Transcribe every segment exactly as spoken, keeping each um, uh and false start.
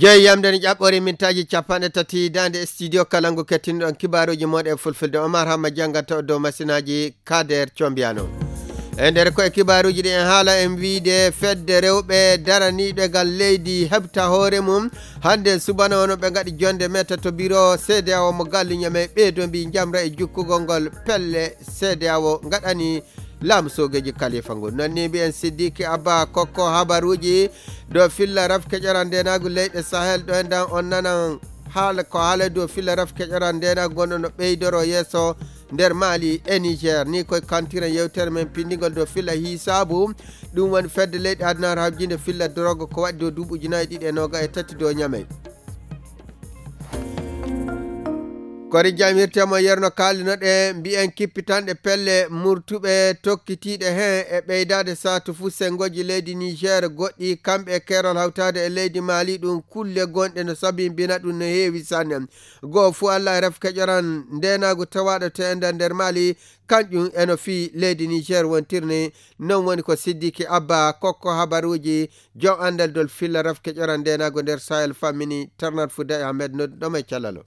Jeyi yamde ne ƴaɓɓori mintaaji capanɗe tati daande studio kalangu kettinɗon kibaaruuji moɗe e fulfulde. Omar Hamma janngata o dow masinaaji Kader Combiyano. E nder ko e kibaaruuji ɗi en haala en wiide fedde rewɓe daraniiɓe ngal leydi heɓta hoore mum. Hannde subana wano ɓe ngaɗi jonde meta to biro C D A O mo gallu ñamey ɓeydo mbi njamra e jukkugol ngol pelle C D A O ngaɗani laamu soogeeji kalifa ngu. Non ni mbiyen Siddiqui Abba kokko habaruuji dow filla rafke ƴoran ndenaagu leyɗe Sahel ɗo en dan on nanan haala ko haala dow filla rafke ƴoran ndenaagu gonɗo no ɓeydoro yeeso nder Mali e Niger. Ni koye kantiren yewtere men pinndingol dow filla hisaabu. Ɗum woni fedde leyɗe aduna habjinde filla drogue ko waɗi dow duuɓi ujunaaji ɗiɗi e nooga e tati dow ñamey. Kori jam hirte mo yerno kaalinoɗe mbiyen kippitanɗe pelle murtuɓe tokkitiiɗe heen e ɓeydaade saatu fuu senngoji leydi Niger goɗɗi kamɓe e keerol hawtaade e leydi Mali ɗum kulle gonɗe no sabimbina ɗum no heewi sanne. Goo fuu Allah e ref keƴoran ndeenaagu tawaaɗo teenda nder Mali kanƴum eno fii leydi Niger wontirni. Non woni ko Siddiqui Abba kokko habaruuji joom anndal dol filla ref keƴoran ndeenaagu nder Sahel fammini Tarnat Fouda e Ahmed nodduɗo mo e cellal o.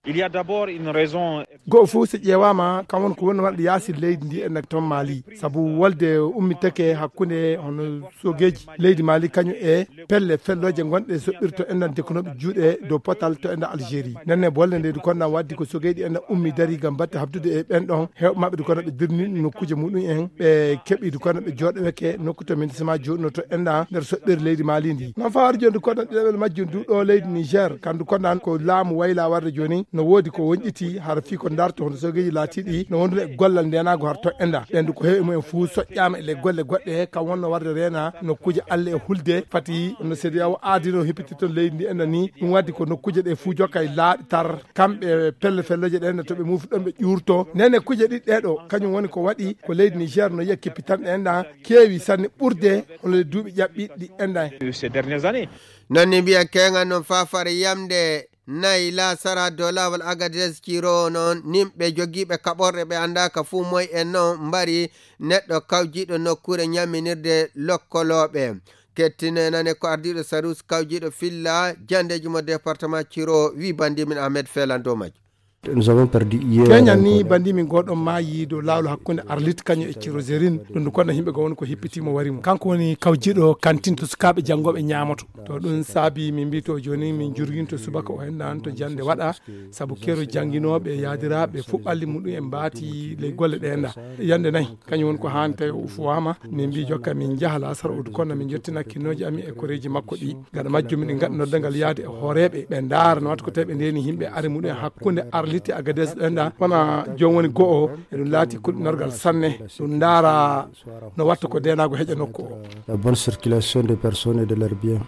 Il y a d'abord une raison. Goo fof so ƴeewaama kam won ko woni waɗde yaasi leydi ndi enna toon Mali sabu wolde ummitake hakkunde hono soogeeji leydi Mali kañum e pelle fellooje gonɗe soɓɓirto enna dekkunooɓe juuɗe dow potal to enna Algérie nenne bolle nde du konna waddi ko soogeeji enna ummi dari gam batte habdude e ɓen ɗon heewɓe maɓɓe du konna ɓe dirni nokkuuje muɗum en ɓe keɓi du konna ɓe jooɗoweke nokku to ministre ma jooɗuno to enna nder soɓɓere leydi Mali ndi non fawar joni du konna ɗiɗaɓel majjum du ɗo leydi Niger kam du konna ko laamu wayla warde joni no woodi ko wonƴiti hara fii ko darto hono soogeeji laatiiɗi no wondude e gollal ndenaago har to enna ɓen du ko heewi mumen fuu soƴƴaama e le golle goɗɗe kam wonno warde reena nokkuuje alle e hulde fati no C D A O aadino heppiti toon leydi ndi enna ni ɗum waddi ko nokkuuje ɗe fuu jokka e laaɓi tar kamɓe pelle felloje ɗen to ɓe muufi ɗon ɓe ƴuurto nene kuuje ɗiɗi ɗeɗo kañum woni ko waɗi ko leydi Niger no yiya keppitanɗe enna keewi sanne ɓurde hono le duuɓi ƴaɓɓiɗi enna. Ces dernières années. Non ni mbiya keŋan non fafare yamde nayi la sara dow laawol Agadez Ciro noon nimɓe jogiiɓe kaɓorɗe ɓe anndaaka fuu moy en noon mbari neɗɗo kawjiiɗo nokkuure ñamminirde lokkolooɓe. Kettine nane ko ardiiɗo Sarus kawjiiɗo filla jandeeji mo département Ciro wi bandimin Ahmed Felan dow majjo. Nous avons perdu hier. Keñan ni bandimin goɗo maayi dow laawol hakkunde Arlit kañum e Ciro Zerin ɗum ndu konna yimɓe goo woni ko hippitimo warimo kanko woni kawjiiɗo kantin to sukaaɓe janngooɓe ñaamoto to ɗum saabi min mbi to jooni min jurginto subaka o hennan to jannde waɗa sabu keero jannginooɓe yaadiraaɓe fof ɓalli muɗum en mbaati ley golle ɗe enɗa yannde nayi kañum woni ko haani tawi o ufuwaama min mbi jokka min njaha laasara udu kono min njottina kinnooji amin e koreeji makko ɗi gaɗa majjum miɗen ngaɗa noddangal yaade e hooreeɓe ɓe ndaara no watta ko tawi ɓe ndeeni yimɓe ari muɗum e hakkunde Arlit e Agadez ɗo enɗa wona joom woni go'o eɗum laati kulɓinorgal sanne ɗum ndaara no watta ko ndeenaagu heƴa nokku o. La bonne circulation des personnes et de leurs biens.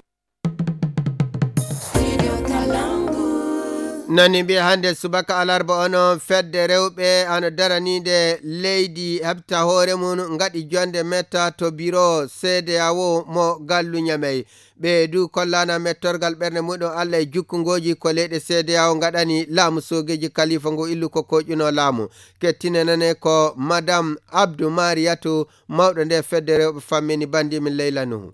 Nani mbiya hannde subaka alarba ono fedde rewɓe ano daraniinde leydi heɓta hoore mum ngaɗi jonde metta to biro C D A O mo gallu ñamey. Ɓe du kollana mettorgal ɓernde muɗum Allah e jukkungooji ko leyɗe C D A O ngaɗani laamu soogeeji kalifa ngu illu ko koƴuno laamu. Kettine nane ko Madame Abdou Mariatou mawɗo nde fedde rewɓe fammini bandimin Leyla Nuhu.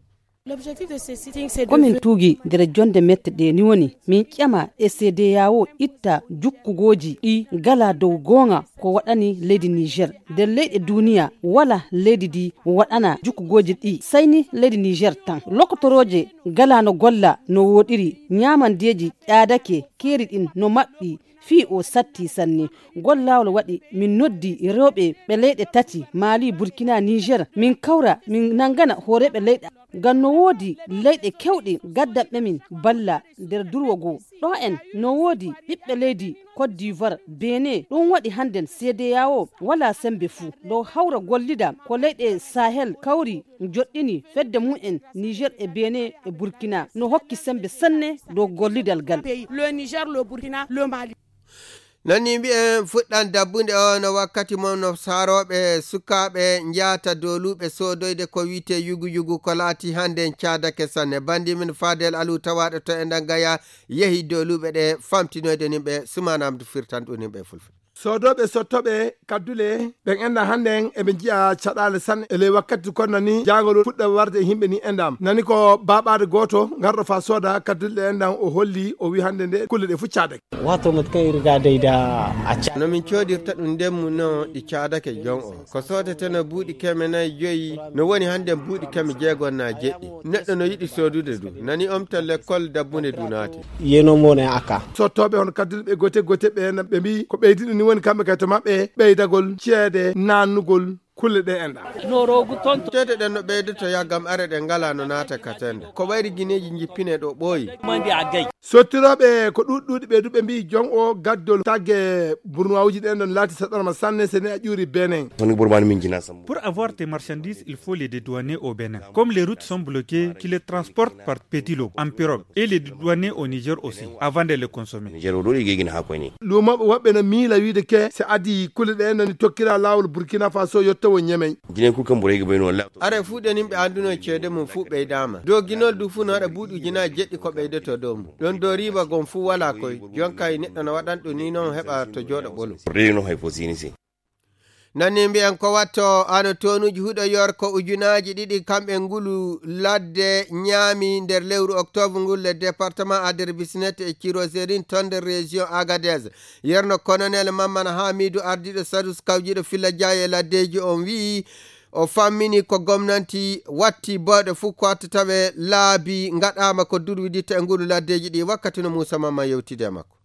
Komin tuugi nder jonde mette ɗe ni woni min ƴama e C D A O itta jukkugooji ɗi ngala dow goonga ko waɗani leydi Niger. Nder leyɗe duniya wala leydi ndi waɗana jukkugooji ɗi sayni leydi Niger tan. Lokotorooje ngala no golla no woɗiri, ñaamandeeji ƴaadake, keeri ɗin no maɓɓi, fii o satti sanne. Ngol laawol waɗi min noddi rewɓe ɓe leyɗe tati, Mali, Burkina, Niger, min kawra, min nangana hooreeɓe leyɗe. Ngam no woodi leyɗe kewɗe gaddanɓe min balla nder durwo goo. Ɗo en no woodi ɓiɓɓe leydi Côte d'Ivoire, Benin, ɗum waɗi hannden C D A O walaa semmbe fuu. Ɗo hawra gollida ko leyɗe Sahel kawri joɗɗini fedde mum en Niger e Benin e Burkina. No hokki semmbe sanne dow gollidal ngal. Pays, le Niger, le Burkina, le Mali. Non ni mbiyen fuɗɗan dabbunde o no wakkati mon no saarooɓe sukaaɓe njaata dooluuɓe soodoyde ko wiyetee yugu yugu ko laati hannden caadake sanne. Banndimin Fadel Alu tawaaɗo to e Ndangaya yehi dooluuɓe ɗe famtinoyde nimɓe Sumaana Amdu firtan ɗum nimɓe e fulfulde. Soodooɓe sottooɓe kaddule ɓen enɗam hannden eɓe njiya caɗaale sanne e ley wakkati kono nani jaangol fuɗɗa warde e yimɓe ni enɗam nani ko baaɓaade gooto ngarɗo fa sooda kaddule ɗe enɗam o holli o wi hannde nde kulle ɗe fuccaade. Wato matakan irga dai da a ca. No min coodirta ɗum ndemmu no ɗi caadake jon o ko soodeteno buuɗi keme nayi joyi no woni hannden buuɗi keme jeegom na jeɗɗi. Neɗɗo no yiɗi soodude du nani omta lekkol dabbunde du naati. Yeno mone aka. Sottooɓe hono kaddule ɓe gote gote ɓe na ɓe mbi ko ɓeydi ɗum ni woni kamɓe kay to maɓɓe ɓeydagol ceede nannugol kulle ɗe enɗa. Ceede ɗen no ɓeydoto yaggam are ɗe ngala no naata katenda ko ɓayri gineeji jippine ɗo ɓooyi. Sottirooɓe ko ɗuuɗi ɗuuɗi ɓe du ɓe mbi jon o gaddol tagge burnuwawuji ɗen ɗon laati saɗorma sanne sene a ƴuuri benen. Pour avoir tes marchandises il faut les dédouaner au Bénin, comme les routes sont bloquées qui les transportent par petit lot en pirogue et les dédouaner au Niger aussi avant de les consommer. Luumooɓe woɓɓe no miila wiide ke si adii kulle ɗe no ni tokkira laawol Burkina Faso yottowo Ñemey. Are fuu ɗen yimɓe annduno ceede mum fuu ɓeydaama doginol du fuu no waɗa buuɗi ujunaaji jeɗɗi ko ɓeydoto dow mum. Ɗon dow riiba gon fuu walaa koy jonka e neɗɗo no waɗan ɗum ni noon heɓa to jooɗo ɓolo. Nani mbi'en ko watto ano toonuuji huɗo yorko ujunaaji ɗiɗi kamɓe ngulu ladde ñaami nder lewru oktoobre ngul le département ader bisnet e ciroserin ton nder région agadez. Yerno colonel mammana hamidu ardiiɗo sadus kawjiiɗo filla jaaye laddeeji on wi'i o fammini ko gomnanti watti booɗe fuu ko watta tawe laabi ngaɗaama ko durwiditta e ngulu laddeeji ɗi wakkati no muusa mamma yewtide e makko.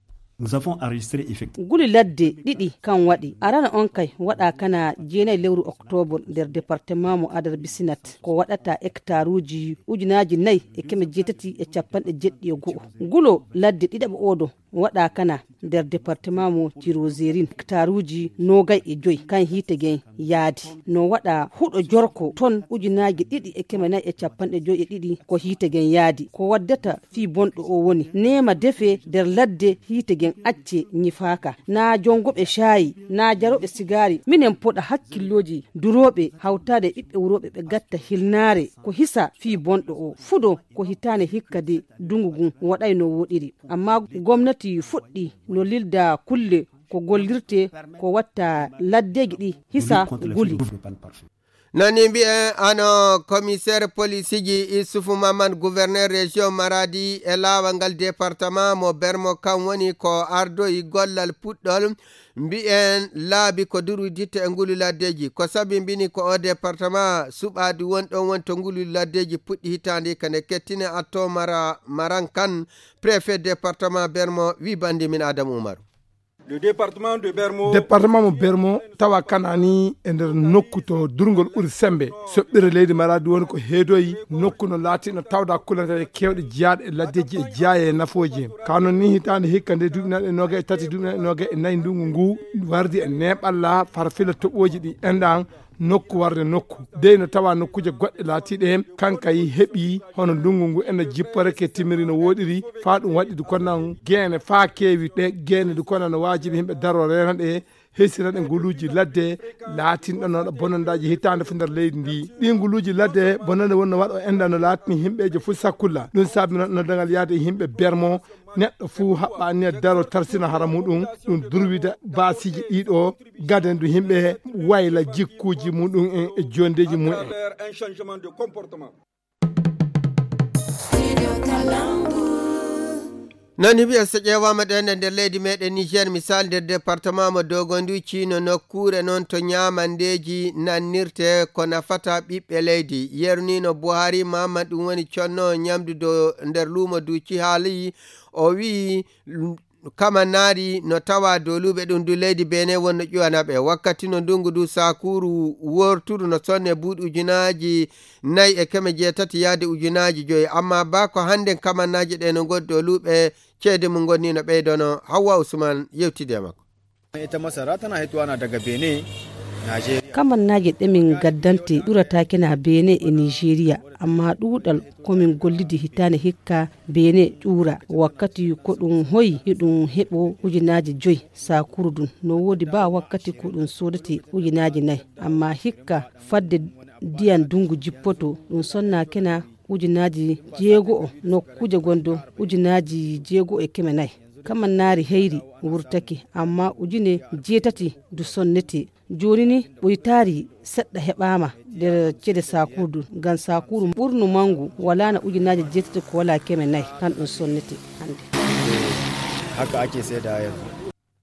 Nguli ladde ɗiɗi kan waɗi arana on kay waɗa kana jeenayi lewru oktobol nder département mo adar bisinat ko waɗata hectaruji ujunaji nayi e keme jeetati e capanɗe jeɗɗi e go'o. Ngulo ladde ɗiɗaɓo oɗo waɗa kana nder département mo tirozerin hectaruji nogay e joyi kan hiite gen yaadi no waɗa huɗo jorko ton ujunaji ɗiɗi e keme nayi e capanɗe joyi e ɗiɗi ko hiite gen yaadi ko waddata fii bonɗo o woni neema defe nder ladde hiite gen acce ñifaaka. Naa jongoɓe caayi naa jaroɓe sigaari minen poɗa hakkillooji durooɓe hawtaade e ɓiɓɓe wurooɓe ɓe gatta hilnaare ko hisa fii bonɗo o fuɗo ko hitaande hikka de ndungu ngun waɗay no wooɗiri. Ammaa gomnati fuɗɗi no lilda kulle ko gollirtee ko watta laddeeji ɗi hisa nguli. Nani mbi'en ano commissaire polisiji isufu maman gouverneur région maradi e laawal ngal département mo bermo kan woni ko ardoyi gollal puɗɗol mbi'en laabi ko durwiditta e ngulu laddeji ko sabi mbini ko o département suɓaadi won ɗon woni to ngulu laddeji puɗɗi hitaande ka nde kettine atto mara maran kan préfet département bermo wi bandi min adamu umaru. Département mo bermo tawa kanani e nder nokku to durgol ɓuri sembe soɓɓire leydi maradi woni ko heedoyi nokku no laatino tawda kulanteeje kewɗe jiyaaɗe e laddeji e jiyaaye e nafooji en ka non ni hitaande hikka nde duuɓi naɗe noga e tati duuɓi naɗe noga e nayi ndungu ngu wardi e neɓalla farfila toɓooji ɗi enɗan nokku warde nokku dey no tawa nokkuuje goɗɗe laatiiɗe heen kanka yi heɓi hono ndungu ngu ena jipporeke timiri no wooɗiri faa ɗum waɗi du konan geene faa keewi ɗe geene du konan no waajibi himɓe daro reena ɗe hesira ɗe nguluuji ladde laatinɗo noɗo bonondaaji hitaande fof nder leydi ndi ɗi nguluuji ladde bonande wonno waɗo enda no laatini himɓeeje fof sakkulla ɗum saabino noddagal yaade e yimɓe bermo neɗɗo fuu haɓɓa anniya daro tarsina hara muɗum ɗum durwida baasiiji ɗiɗo gadandu yimɓe wayla jikkuuji muɗum en e jondeeji mum en. Nani wiya so ƴeewaama ɗen e nder leydi meɗen niger misal nder département mo dogonduci no nokkure noon to ñaamandeeji nannirte ko nafata ɓiɓɓe leydi yernino buhari mahamman ɗum woni conno ñamdu do nder luumo duci haali o wi'i kamannaari no tawa dooluuɓe ɗum du leydi benin wonno ƴuwanaɓe wakkati no ndungu du sakuuru worturu no sonne buuɗi ujunaaji nayi e keme jeetati yaade ujunaaji joyi amma ba ko hannden kamannaaji ɗe no ngoni dooluuɓe ceede mum ngonnino ɓeydono hawwa usman yewtidi e makko. Ita masara tana hituwa na daga benin. Kamannaaji ɗe min gaddante ɗurataake na benin e nigeria amma ɗuuɗal ko min gollidi hitaande hikka benin ƴuura wakkati ko ɗum hoyi hiɗum heɓo ujunaaji joyi sakuuru ɗum no woodi ba wakkati ko ɗum soodete ujunaaji nayi amma hikka fadde ndiyan ndungu jippoto ɗum sonnaake na ujunaaji jeego'o nokkuuje gondo ujunaaji jeego'o e keme nayi. Kamannaari heyri wurtake, amma ujine jeetati du sonnete. Jooni ni ɓoytaari seɗɗa heɓaama nder ceede saakuru du, ngam saakuru ɓurnu mangu walaana ujunaaje jeetati ko walaa keme nayi, kan ɗum sonnete hannde. Haka ake saida yanzu.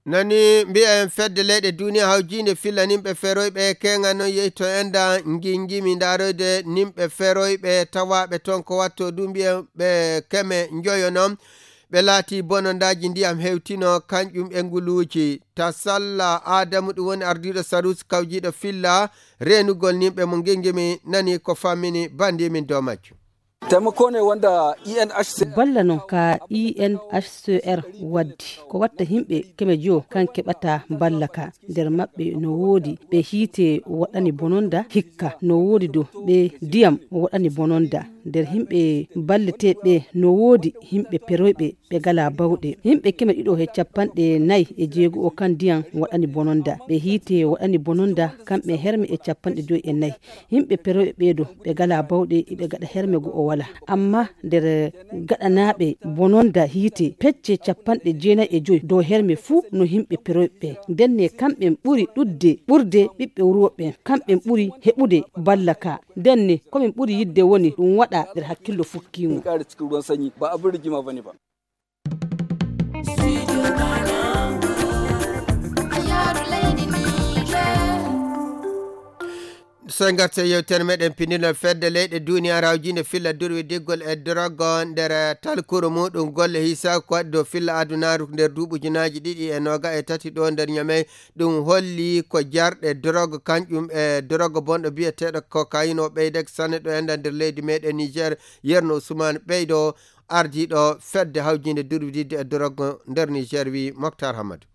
Nani mbiyen fedde leyɗe duniya hawjiinde filla nimɓe feroyɓe keŋa non yehi to enda nginjimi ndaroyde nimɓe feroyɓe tawaaɓe toon ko watto du mbiyen ɓe keme njoyo non. Ɓe laati bonondaaji ndiyam hewtino kanƴum e nguluuji. Tasalla Adamu ɗum woni ardiiɗo Saruusi kawjiiɗo filla reenugol nimɓe mo nginjimi nani ko fammini banndi min dow majjum. Taimako ne wanda E N H C R. Balla non ka E N H C R waddi. Ko watta himɓe keme jo kan keɓata balla ka. Nder maɓɓe no woodi ɓe hiite waɗani bononda hikka. No woodi do ɓe diyam waɗani bononda. Nder himɓe balleteeɓe no woodi himɓe peroyɓe ɓe gala bawɗe. Himɓe keme ɗiɗo he capanɗe nayi e jeego o kan diyam waɗani bononda. Ɓe hiite waɗani bononda kamɓe herme e capanɗe joyi e nayi. Yimɓe peroɓe ɓeeɗo, ɓe ngalaa bawɗe, iɓe ngaɗa herme goo o walaa. Ammaa nder gaɗanaaɓe bononda hiite, pecce capanɗe jeenayi e joy dow herme fuu no yimɓe peroɓe ɓe. Ndenne kamɓe ɓuri ɗuuɗde, ɓurde ɓiɓɓe wuro ɓen, kamɓe ɓuri heɓude balla ka. Ndenne ko min ɓuri yiɗde woni ɗum waɗa nder hakkillo fukkiingo. So en ngartii e yewtere meɗen pinndinol fedde leyɗe duuniyaaru hawjiinde filla durwi diggol e drogue nder talkuru muɗum golle hiisa ko waɗi dow filla adunaaru nder duuɓi ujunaaji ɗiɗi e nooga e tati ɗo nder Ñamey. Ɗum holli ko jarɗe drogue kanƴum e drogue bonɗo biyeteeɗo cocaïne o ɓeydake sanne ɗo enda nder leydi meɗen Niger. Yerno Ousmane Ɓeydo, ardiiɗo fedde hawjiinde durwididde e drogue nder Niger, wi Moctar Hamadou.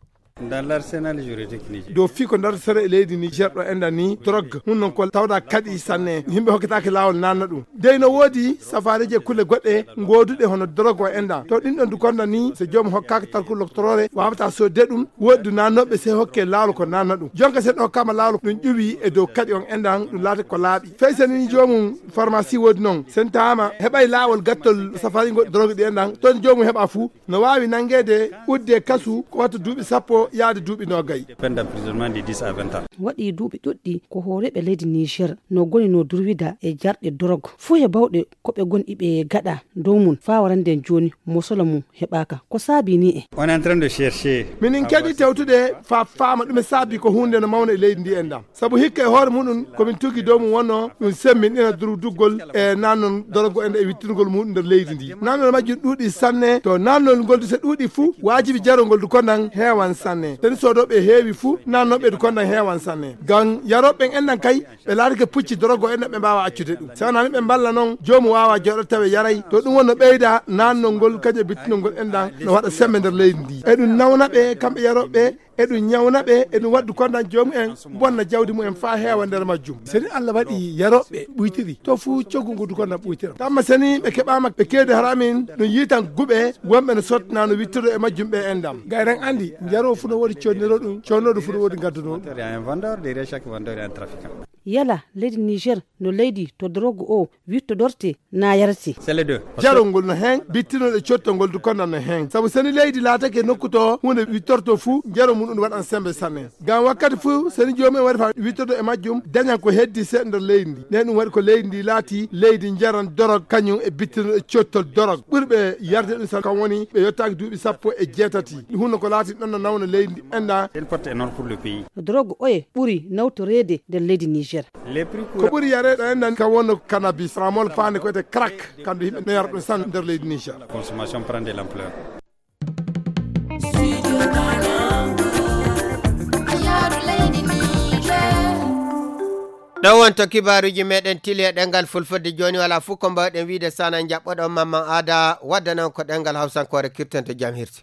Dans l'arsenal juridique nigérien. Dow fii ko dartotoo e leydi Niger ɗo enda ni drogue, hun non ko tawɗaa kaɗi sanne, yimɓe hokkitaake laawol nanna ɗum. Dey no woodi safaareeji e kulle goɗɗe gooduɗe hono drogue o enda. To ɗin ɗon du konda ni, so joomum hokkaaka talkuru loktoroore, waawataa soodde ɗum, woodi du nannooɓe sey hokke laawol ko nanna ɗum. Jonka sen ɗo hokkaama laawol ɗum ƴuwi e dow kaɗi on endan ɗum laati ko laaɓi. Fey sen ni joomum pharmacie woodi non, sen taama heɓay laawol gattol safaariigo drogue ɗi endan, ton joomum heɓa fuu. No waawi nanngeede udde kasu ko watta duuɓi sappo yaade duuɓi noogay. Peine d'emprisonnement de dix à vingt ans. Waɗi duuɓi ɗuɗɗi ko hooreeɓe leydi Niger no goni no durwida e jarɗe drogue. Fuu he bawɗe ko ɓe goni iɓe gaɗa dow mum faa warande jooni mosolo mum heɓaaka. Ko saabi ni e? On est en train de chercher. Minin keɗi tewtude faa faama ɗume saabi ko huunde no mawna e leydi ndi endan. Sabu hikka e hoore muɗum ko min tugi dow mum wonno ɗum semmbinɗina durduggol e nannon drogue en e wittirgol muɗum nder leydi ndi. Nannon majjum ɗuuɗi sanne, to nannol ngol du so ɗuuɗi fuu, waajibi jarol ngol du kondan heewan sanne. Seni soodooɓe heewi fuu, nannooɓe du kondan heewan sanne. Ngam yarooɓe ɓen endan kay, ɓe laatike pucci drogue en ɓe mbaawa accude ɗum. Si wonaa ni ɓe mballa non, joomum waawa jooɗo tawe yaray. To ɗum wonno ɓeyda nannol ngol, kañum e bittinol ngol endan no waɗa semmbe nder leydi ndi. Eɗum nawna ɓe kamɓe yarooɓe ɓe, eɗum ñawna ɓe, eɗum waddu kondan joomum en, bonna jawdi mum en faa heewa nder majjum. Seni Allah waɗi yarooɓe ɓuytiri, to fuu coggu ngu du kondan ɓuytira. Tamma seni ɓe keɓaama ɓe keedi haramin, ɗum yiitan guɓe wonɓe no sottina no wittodo e majjum ɓe endam. Gayran andi, jaroo fuu no woodi conniroo ɗum, connooɗo fuu no woodi ngadduno ɗum. Il y a un vendeur, derrière chaque vendeur, il y a un trafiquant. Yala leydi Niger no leydi to drogue o wittodorte naa yarete? C'est les deux. Jarol ngol no heen, bittinol e cottol ngol du kondan no heen. Sabu seni leydi laatake nokku to huunde wittorto fuu, jarol muɗum waɗan semmbe sanne. Ngam wakkati fuu seni joomum en waɗi faa wittodo e majjum, dañan ko heddi seeɗa nder leydi ndi. Nden ɗum waɗi ko leydi ndi laati leydi njaran drogue, kañum e bittinol e cottol drogue. Ɓurɓe yarde ɗum sanne kam woni ɓe yottaaki duuɓi sappo e jeetati. Ɗum hunno ko laati ɗon no nawna leydi ndi endan. C'est une perte énorme pour le pays. Drogue oye ɓuri nawtoreede nder leydi Niger? Ko ɓuri yareede endan kam wonno cannabis, tramol faande ko wiyetee crack, kamɓe yimɓe no yara ɗum sanne nder leydi Niger. La consommation prend de l'ampleur. Ɗo wonto kibaaruuji meɗen tili e ɗemngal fulfulde. Jooni walaa fof ko mbaawɗen wiyde so wonaa njaɓɓoɗon Mamman Aada waddanon ko ɗemngal hawsankoore kirten to jam hirsi.